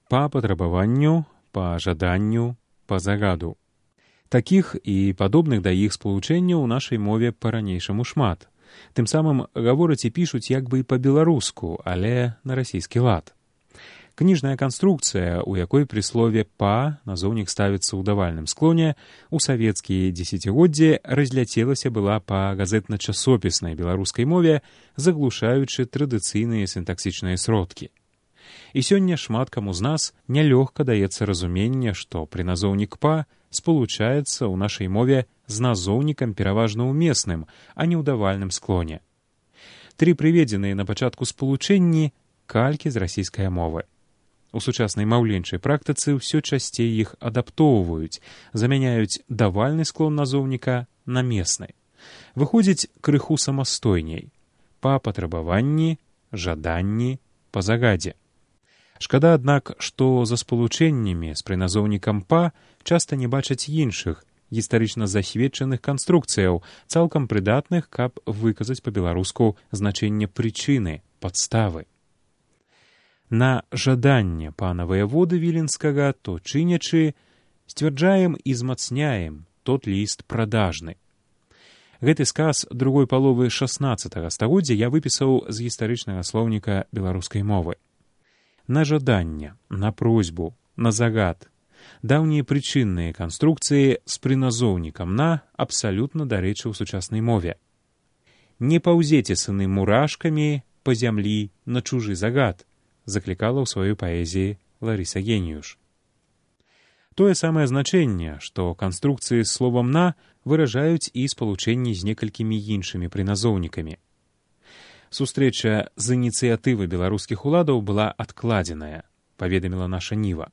па патрабаванню, па жаданню, па загаду. Такіх і падобных да іх спалучэнняў у нашай мове па-ранейшаму шмат. Тым самым гавораць і пішуць як бы і па-беларуску, але на расійскі лад. Кніжная канструкцыя, у якой пры слове «па» назоўнік ставіцца ў давальным склоне, у савецкія дзесяцігоддзі разляцелася была па газетна-часопіснай беларускай мове, заглушаючы традыцыйныя сінтаксічныя сродкі. І сёння шмат каму з нас нялёгка даецца разуменне, што прыназоўнік «па» спалучаецца ў нашай мове з назоўнікам пераважна ўмесным, а не ў давальным склоне. Тры прыведзеныя на пачатку спалучэнні калькі з расійскай мовы. У сучаснай маўленчай практыцы ўсё часцей іх адаптоўваюць, замяняюць давальны склон назоўніка на месны. Выходзіць крыху самастойней. Па патрабаванні, жаданні, па загадзе. Шкада, аднак, што за спалучэннямі з прыназоўнікам «па» часта не бачаць іншых, гістарычна засведчаных канструкцыяў, цалкам прыдатных, каб выказаць па-беларуску значэнне прычыны, падставы. На жаданне пана ваяводы Віленскага, то чынячы, сцвярджаем і змацняем тот ліст продажны. Гэты сказ другой паловы 16 стагоддзя я выпісаў з гістарычнага слоўніка беларускай мовы. На жаданне, на просьбу, на загад. Даўнія прычынныя канструкцыі з прыназоўнікам «на» абсалютна дарэчы ў сучаснай мове. «Не паўзеце, сыны, мурашкамі па зямлі на чужы загад», заклікала ў сваёй паэзіі Ларыса Геніюш. Тое самае значэнне, што канструкцыі з словам «на» выражаюць і спалучэнні з некалькімі іншымі прыназоўнікамі. Сустрэча з ініцыятывы беларускіх уладаў была адкладзеная, паведаміла наша Ніва.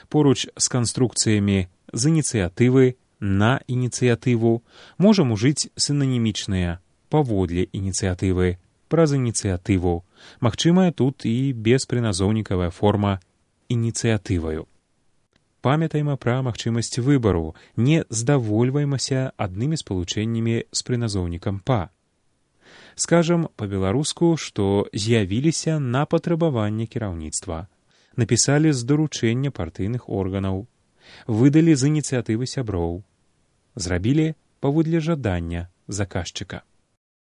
Поруч з канструкцыямі з ініцыятывы, на ініцыятыву можам ужыць сінанімічныя паводле ініцыятывы, праз ініцыятыву. Магчымая тут і беспрыназоўнікавая форма ініцыятываю. Памятайма пра магчымасць выбару, не здавольваймася аднымі спалучэннямі з прыназоўнікам «па». Скажам па-беларуску, што з'явіліся на патрабаванне кіраўніцтва, напісалі з даручэння партыйных органаў, выдалі з ініцыятывы сяброў, зрабілі паводле жадання заказчыка.